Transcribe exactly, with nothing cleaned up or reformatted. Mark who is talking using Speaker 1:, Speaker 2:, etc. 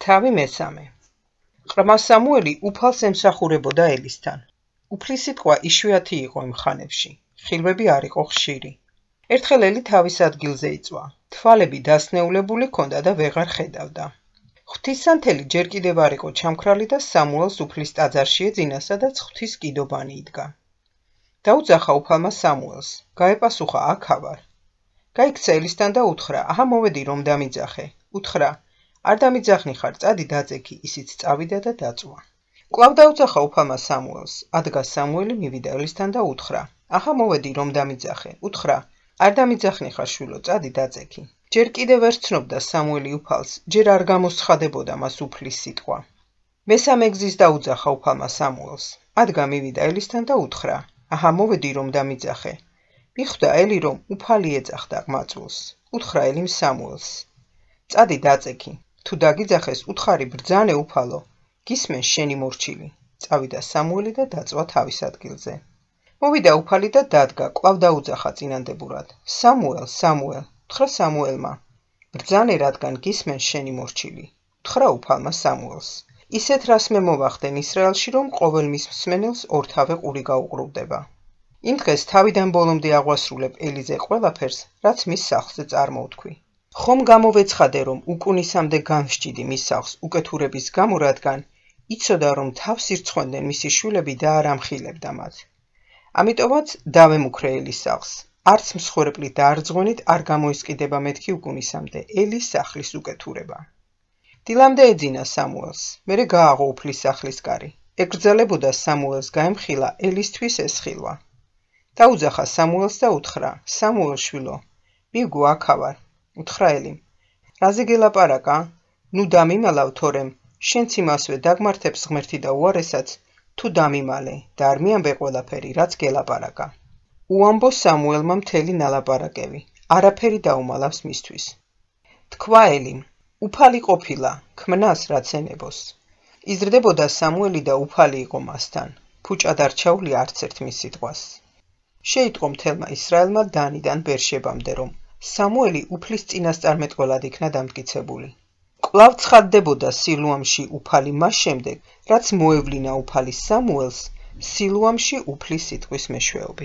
Speaker 1: თავი მესამე. ყრმა სამუელი უფალს ემსახურებოდა ელისთან. უფლის სიტყვა იშვიათი იყო იმ ხანებში. ხილვები არ იყო ხშირი. ერთხელ ელი თავის ადგილზე იწვა. თვალები დასნეულებული ჰქონდა და ვეღარ ხედავდა. ღვთისმსახურებელი ჯერ კიდევ არ იყო ჩამქრალი და სამუელს უფლის ტაძარში ეძინა, სადაც ღვთის კიდობანი იდგა. დაუძახა უფალმა სამუელს. გაეპასუხა, აქ ავარ. გაიქცა ელისთან და უთხრა, აჰა მოვედი რომ დამიძახე. უთხრა, არ დამიძახნი ხარ, წადი დაძექი, ისიც წავიდა და დაწვა. კვლავ დაუძახა უფალმა სამუელს. ადგა სამუელი მივიდა ელისთან და უთხრა, აჰა მოვედი რომ დამიძახე. უთხრა, არ დამიძახნი ხარ შვილო, წადი დაძექი. ჯერ კიდევ ვერ ცნობდა სამუელი უფალს, ჯერ არ გამოსცხადებოდა მას უფლის სიტყვა. მესამე გზის დაუძახა უფალმა სამუელს. ადგა მივიდა ელისთან და უთხრა, აჰა მოვედი რომ დამიძახე. მიხვდა ელი რომ უფალი ეძახდა ყმაწვილს. უთხრა ელიმ სამუელს, წადი დაძექი. თუ დაგიძახეს, უთხარი ბრძანე უფალო, გისმენს შენი მორჩილი. წავიდა სამუელი და დაწვა თავის ადგილზე. მოვიდა უფალი და დადგა, კვლავ დაუძახა წინანდებურად. სამუელ, სამუელ, უთხრა სამუელმა, ბრძანე რადგან გისმენს შენი მორჩილი. უთხრა უფალმა სამუელს. ისეთ რას მე მოვახდენ ისრაელში, რომ ყოველ მის მსმენელს ორთავე ყური გაუყრუდება. იმ დღეს თავიდან ბოლომდე აღვასრულებ ელიზე ყველაფერს, რაც მის სახლზე წარმოვთქვი. ხომ გამოვეცხადე, რომ უკუნისამდე განსჯიდი მის სახლს უკეთურების გამო, რადგან იცოდა, რომ თავს ირცხვენდნენ მისი შვილები და არ ამხილებდა მათ. ამიტომაც დავემუქრე ელის სახლს. არც მსხვერპლი დაარძღვენით არ გამოისყიდება მეთქი უკუნისამდე ელის სახლის უკეთურება. დილამდე ეძინა სამუელს, მერე გააღო უფლის სახლის კარი. ეკრძალებოდა სამუელს გაემხილა ელისთვის ეს ხილვა. დაუძახა სამუელს და უთხრა, სამუელ შვილო, მივგო აქ ავარ. უთხრა ელიმ, რაზე გელაპარაკა? ნუ დამიმალავ თორემ, შენც იმასვე დაგმართებს ღმერთი და უარესაც, თუ დამიმალე და არ მიამბე ყველაფერი, რაც გელაპარაკა. უამბო სამუელმა მთელი ნალაპარაკები, არაფერი დაუმალავს მისთვის. თქვა ელიმ, უფალი ყოფილა, ქმნას რაც ენებოს. იზრდებოდა სამუელი და უფალი იყო მასთან, ფუჭად არ ჩაული არც ერთ მის სიტყვას. შეიტყო მთელმა ისრაელმა დანიდან ბერშებამდე, რომ სამუელი უფლის წინასწარმეტყველად იქნა დამტკიცებული. კვლავ ცხადდებოდა სილუამში უფალი მას შემდეგ, რაც მოევლინა უფალი სამუელს სილუამში უფლის სიტყვის მეშვეობით.